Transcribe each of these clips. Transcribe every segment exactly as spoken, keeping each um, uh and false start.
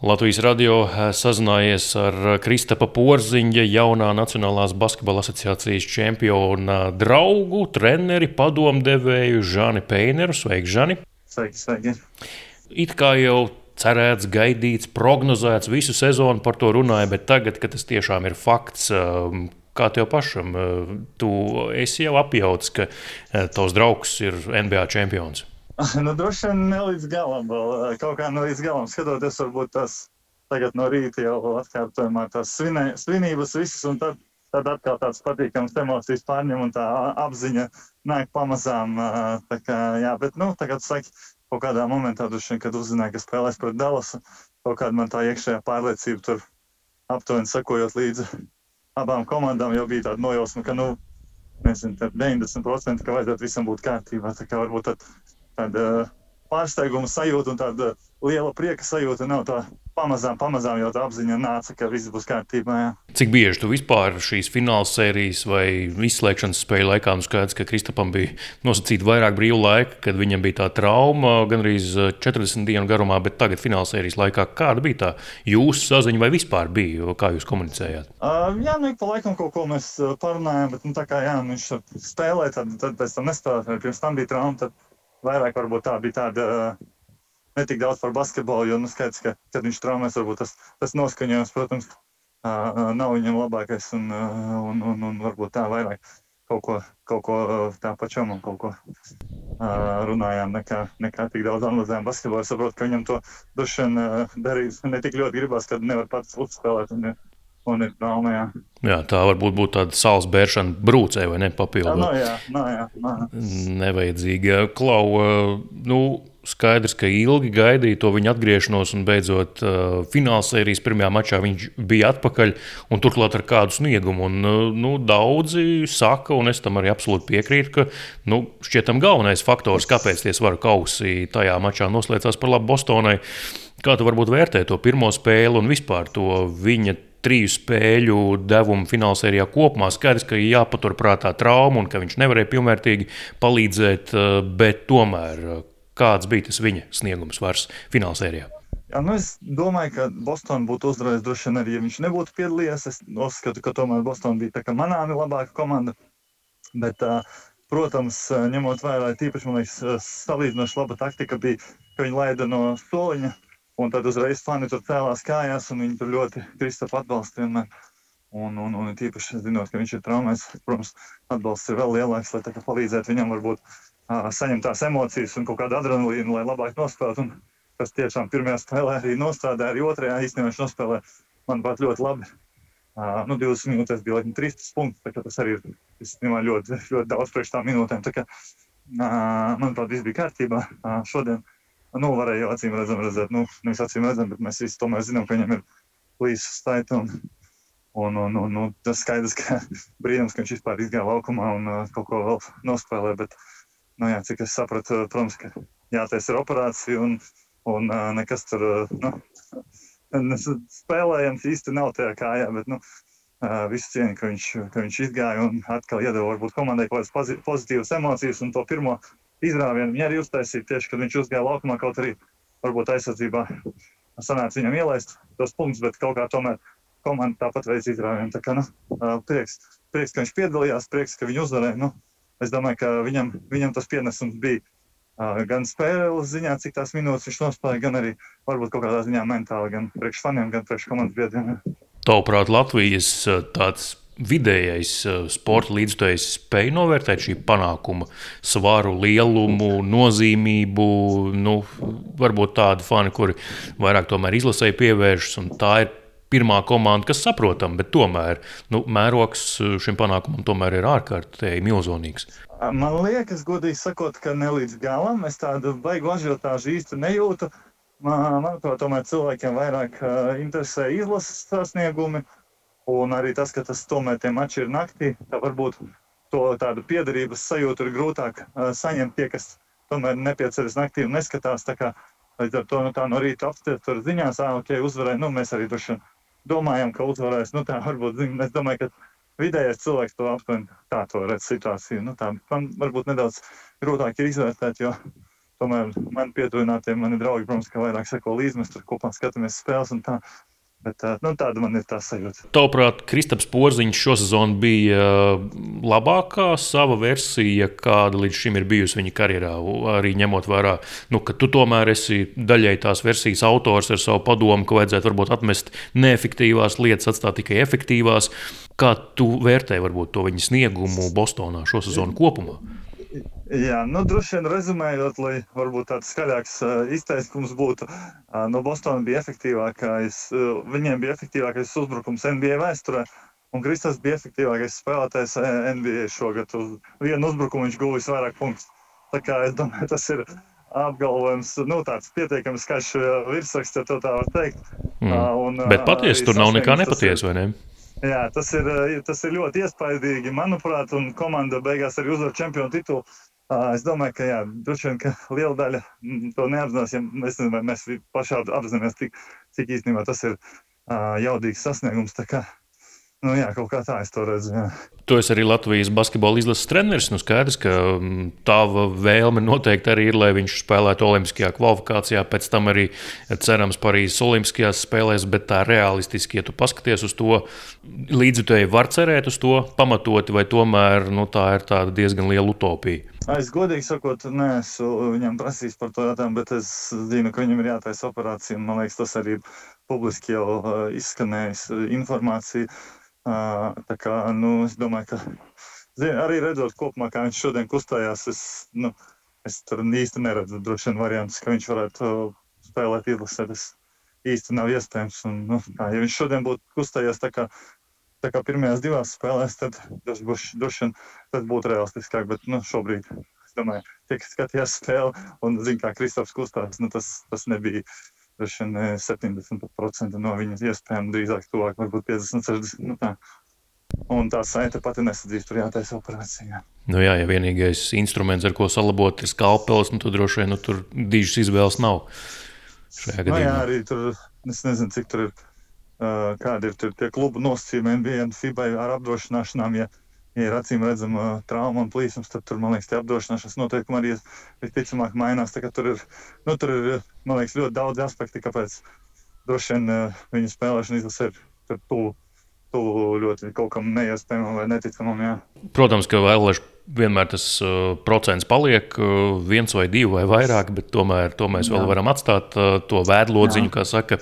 Latvijas radio sazinājies ar Kristapa Porziņa, jaunā Nacionālās basketbola asociācijas čempiona draugu, treneri, padomdevēju Žani Peineru. Sveiki, Žani! Sveiki, sveiki! It kā jau cerēts, gaidīts, prognozēts, visu sezonu par to runāja, bet tagad, kad tas tiešām ir fakts, kā tev pašam, tu esi jau apjauts, ka tavs draugs ir N B A čempions? Nu, droši vien ne līdz galam, vēl kaut kā ne līdz galam. Skatoties, varbūt tas tagad no rīta jau atkārtojumā tās svinē, svinības visas, un tad, tad atkal tāds patīkams emocijas pārņem, un tā apziņa nāk pamazām. Tā kā, jā, bet, nu, tagad saki, kaut kādā momentā, duši, kad uzzināju, ka spēlēs pret Dallasu, kaut kāda man tā iekšējā pārliecība tur aptuveni sakojot līdzi abām komandām, jau bija tāda nojausma, ka, nu, nezinu, tad deviņdesmit procenti, ka vajadzētu visam būt kārtībā. Tā kā varbūt tad tāda pārsteiguma sajūta un tāda liela prieka sajūta nav tā pamazām, pamazām jau tā apziņa nāca, ka viss būs kārtībā. Jā. Cik bieži tu vispār šīs fināls sērijas vai izslēgšanas spēļu laikā, nu skaidrs, ka Kristapam bija nosacīta vairāk brīvu laika, kad viņam bija tā trauma gandrīz četrdesmit dienu garumā, bet tagad fināls sērijas laikā kāda bija tā jūsu saziņa vai vispār bija, kā jūs komunicējāt? Uh, jā, nu ik pa laikam kaut ko mēs parunājām, bet nu tā kā jā, viņš spēlē, tad, tad pēc tam nespēlē, pirms tam bija trauma, tad vairāk varbūt tā bija tāda ne tik daudz par basketbolu, jo nu skaidrs, ka, kad viņš traumēs, varbūt tas, tas noskaņojums, protams, nav viņam labākais un, un, un, un varbūt tā vairāk kaut ko, kaut ko tā pačam un kaut ko runājām, nekā, nekā tik daudz analizējām basketbolu. Es saprotu, ka viņam to droši vien darīs ne tik ļoti gribās, kad nevar pats uzspēlēt un, un ir trauma, jā. Jā, tā varbūt būtu tāda saules bēršana brūcē vai ne papildot. No, jā, no, jā, no. Nevajadzīga. Klau, nu, skaidrs, ka ilgi gaidīja to viņa atgriešanos un beidzot uh, finālsērijas pirmajā mačā viņš bija atpakaļ un turklāt ar kādu sniegumu. Un, uh, nu, daudzi saka, un es tam arī absolūti piekrītu, ka nu, šķietam galvenais faktors, kāpēc tie svaru kausi tajā mačā noslēdzās par labu Bostonai. Kā tu varbūt vērtē to pirmo spēli un vispār to viņa triju spēļu devumu finālsērijā kopumā? Skaidrs, ka jāpaturprātā trauma un ka viņš nevarēja pilnvērtīgi palīdzēt, bet tomēr kāds bija tas viņa sniegums vairs finālsērijā? Jā, nu es domāju, ka Bostona būtu uzvarējis droši vien arī, ja viņš nebūtu piedalījies. Es uzskatu, ka tomēr Bostona bija tā kā manāmi labāka komanda, bet, protams, ņemot vērā, tīpaši, man liekas, salīdzinoši laba taktika bija, ka viņi laida no soliņa, un tad uzreiz fani tur cēlās kājās, un viņi tur ļoti Kristapu atbalsta vienmēr. Un, un, un tīpaši zinot, ka viņš ir traumēs, protams, atbalsts ir vēl lielāks, lai tā kā palīdzētu viņam varbūt uh, saņemt tās emocijas un kaut kādu adrenalīnu, lai labāk nospēlētu. Un tas tiešām pirmajā spēlē arī nostrādāja, arī otrajā īstenībā viņš nospēlē, manuprāt, ļoti labi. Uh, nu, divdesmit minūtēs bija laikam trīsdesmit punkti, tā kā tas arī ir īstenībā ļoti, ļoti daudz priekš tām minūtēm. Tā kā, uh, manuprāt, viss bija kārtībā uh, šodien. Nu, varēja jau acīm redzam redzēt, nu, nevis acīm redzam, bet mēs visi tomēr zinām, ka viņam ir plīsu staita un, un, un, un, un tas skaidrs, ka brīnums, ka viņš vispār izgāja laukumā un uh, kaut ko vēl nospēlē, bet, nu jā, cik es sapratu, protams, ka jātais ir operācija un, un uh, nekas tur, uh, nu, spēlējams īsti nav tajā kājā, bet, nu, uh, visu cieņu, ka viņš, ka viņš izgāja un atkal iedeva varbūt komandai kaut kādas pozitīvas emocijas un to pirmo izrāvienu viņa arī uztaisīja tieši, kad viņš uzgāja laukumā, kaut arī varbūt aizsardzībā sanāca viņam ielaist tos punktus, bet kaut kā tomēr komanda tāpat veids izrāvienu. Tā kā, nu, prieks, prieks, ka viņš piedalījās, prieks, ka viņu uzvarēja. Nu, es domāju, ka viņam, viņam tas pienesums bija uh, gan spēles ziņā, cik tās minūtes viņš nospēlēja, gan arī varbūt kaut kādā ziņā mentāli, gan priekš faniem, gan priekš komandas biedriem. Tavuprāt, Latvijas tāds vidējais sporta līdzstājs spēja novērtēt šī panākuma svaru, lielumu, nozīmību, nu, varbūt tādi fani, kuri vairāk tomēr izlasēji pievēršas, un tā ir pirmā komanda, kas saprotam, bet tomēr, nu, mērogs šim panākumam tomēr ir ārkārtēji milzonīgs. Man liekas, godīgi sakot, ka ne līdz galam, es tādu baigu ažiotāžu īsti nejūtu. Man, manuprāt, tomēr cilvēkiem vairāk uh, interesē izlases sasniegumi, un arī tas, ka tas tomēr tie mači ir naktī, tā varbūt to tādu piederības sajūtu ir grūtāk uh, saņemt tie, kas tomēr nepieceras naktī un neskatās. Tā kā līdz ar to nu, tā no rīta apstiet tur ziņās, ā, ok, uzvarēja, nu mēs arī droši domājam, ka uzvarēs. Nu tā varbūt, zin, es domāju, ka vidējais cilvēks to aptuveni tā to redz situāciju. Nu tā man varbūt nedaudz grūtāk ir izvērtēt, jo tomēr man pietuvinātie mani draugi, protams, ka vairāk seko līdzi, mēs tur kopā skatāmies spēles un tā. Bet nu, tāda man ir tā sajūta. Tavuprāt, Kristaps Porziņš šosezon bija labākā sava versija, kāda līdz šim ir bijusi viņa karjerā. Arī ņemot vērā, nu, ka tu tomēr esi daļai tās versijas autors ar savu padomu, ka vajadzētu varbūt atmest neefektīvās lietas, atstāt tikai efektīvās. Kā tu vērtē varbūt to viņa sniegumu Bostonā šosezonu kopumā? Jā, nu, droši vien rezumējot, lai varbūt tāds skaļāks uh, izteikums būtu, uh, no Bostona bija efektīvākais, uh, viņiem bija efektīvākais uzbrukums N B A vēsturē, un Kristaps bija efektīvākais spēlētājs N B A šogad. Uz vienu uzbrukumu viņš guvis vairāk punktus. Tā kā es domāju, tas ir apgalvojums, nu, tāds pietiekami skaļš virsraksts, ja to tā var teikt. Mm. Uh, un, Bet patiesi tur nav nekā nepatiesa, vai ne? Jā, tas ir, tas ir ļoti iespaidīgi, manuprāt, un komanda beigās arī uzvar čempionu titulu. Es domāju, ka jā, droši vien, ka liela daļa to neapzinās, ja mēs, mēs pašā apzināmies, cik, cik īstenībā tas ir jaudīgs sasniegums. Tā kā, nu jā, kaut kā tā es to redzu, jā. Tu esi arī Latvijas basketbola izlases treneris. Nu skaidrs, ka tava vēlme noteikti arī ir, lai viņš spēlētu olimpiskajā kvalifikācijā, pēc tam arī cerams Parīzes olimpiskajās spēlēs, bet tā realistiski, ja tu paskaties uz to, līdzjutēji var cerēt uz to pamatoti, vai tomēr nu, tā ir tāda diezgan liela utopija? Es godīgi sakot, neesmu viņam prasījis par to jautājumu, bet es zinu, ka viņam ir jātaisa operācija, un man liekas, tas arī publiski jau izskanējis informācija. Uh, tā kā, nu, es domāju, ka zin, arī redzot kopumā, kā viņš šodien kustējās, es, nu, es tur īsti neredzu droši vien variantus, ka viņš varētu spēlēt izlasē. Tas īsti nav iespējams. Un, nu, kā, ja viņš šodien būtu kustējies tā kā, tā kā pirmajās divās spēlēs, tad tas būs, droši vien tas būtu realistiskāk. Bet nu, šobrīd, es domāju, tiek skatījās spēli un zin, kā Kristaps kustās, nu, tas, tas nebija. Droši vien septiņdesmit procenti no viņas iespējām, drīzāk tuvāk, varbūt piecdesmit, sešdesmit. Nu tā. Un tā saite pati nesadzīs, tur jātaisa operācija. Nu jā, ja vienīgais instruments, ar ko salabot, ir skalpelis, nu tad droši vien nu, tur dižas izvēles nav šajā gadījumā. Nu jā, arī tur, es nezinu, cik tur ir, uh, kādi ir tur tie klubu nosacījumi N B A un FIBA ar apdrošināšanām, ja Ja ir acīm redzama trauma un plīsums, tad tur, man liekas, tie apdrošināšanas noteikumi arī visticamāk mainās. Tā, tur ir, nu, tur ir, man liekas, ļoti daudz aspekti, kāpēc droši vien uh, viņa spēlēšana izlasē ir tuvu, tuvu ļoti kaut kam neiespējamam vai neticamam. Jā. Protams, ka vēl vienmēr tas uh, procents paliek uh, viens vai divi vai vairāk, bet tomēr to mēs vēl jā. Varam atstāt uh, to vēdlodziņu, kā saka.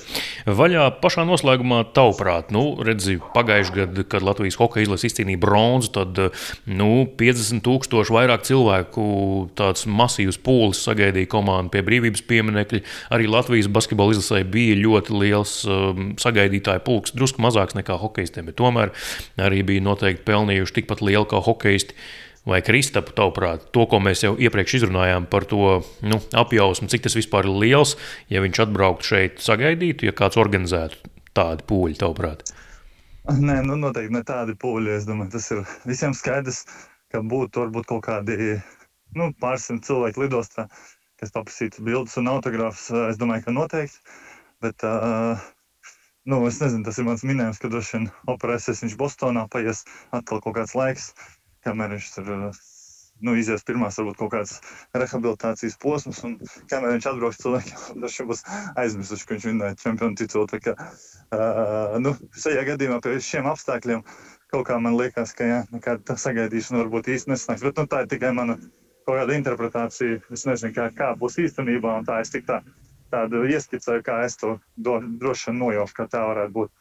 Vaļā pašā noslēgumā tavuprāt, nu, redzi, pagājuši gadu, kad Latvijas hokeja izlase izcīnīja bronzu, tad nu, piecdesmit tūkstoši vairāk cilvēku tāds masīvs pūlis sagaidīja komandu pie brīvības pieminekļa. Arī Latvijas basketbola izlasē bija ļoti liels um, sagaidītāju pulks, drusku mazāks nekā hokejistiem, bet tomēr arī bija noteikti pelnījuši tikpat lielu kā hokejisti. Vai Kristapu, tavuprāt, to, ko mēs jau iepriekš izrunājām par to nu, apjausmu, cik tas vispār ir liels, ja viņš atbrauktu šeit sagaidītu, ja kāds organizētu tādu pūļu, tavuprāt? Nē, nu noteikti ne tādi pūļi. Es domāju, tas ir visiem skaidrs, ka būtu varbūt kaut kādi nu, pārsimt cilvēki lidostā, kas paprasītu bildes un autogrāfus. Es domāju, ka noteikti. Bet, uh, nu, es nezinu, tas ir mans minējums, ka droši vien operēsies viņš Bostonā, paies atkal kaut kāds laiks. Kamēr viņš tur nu, izies pirmās, varbūt kaut kāds rehabilitācijas posms, un kamēr viņš atbrauks cilvēkiem, droši būs aizmirsuši, ka viņš vinnēja čempionu titulu. Tā kā, uh, nu, šajā gadījumā pie šiem apstākļiem kaut kā man liekas, ka jā, nekāda sagaidīšana varbūt īsti nesnāks, bet nu, tā ir tikai mana kaut kāda interpretācija. Es nezinu, kā, kā būs īstenībā, un tā es tik tā, tādu ieskicēju, kā es to do, droši vien nojaušu, kā tā varētu būt.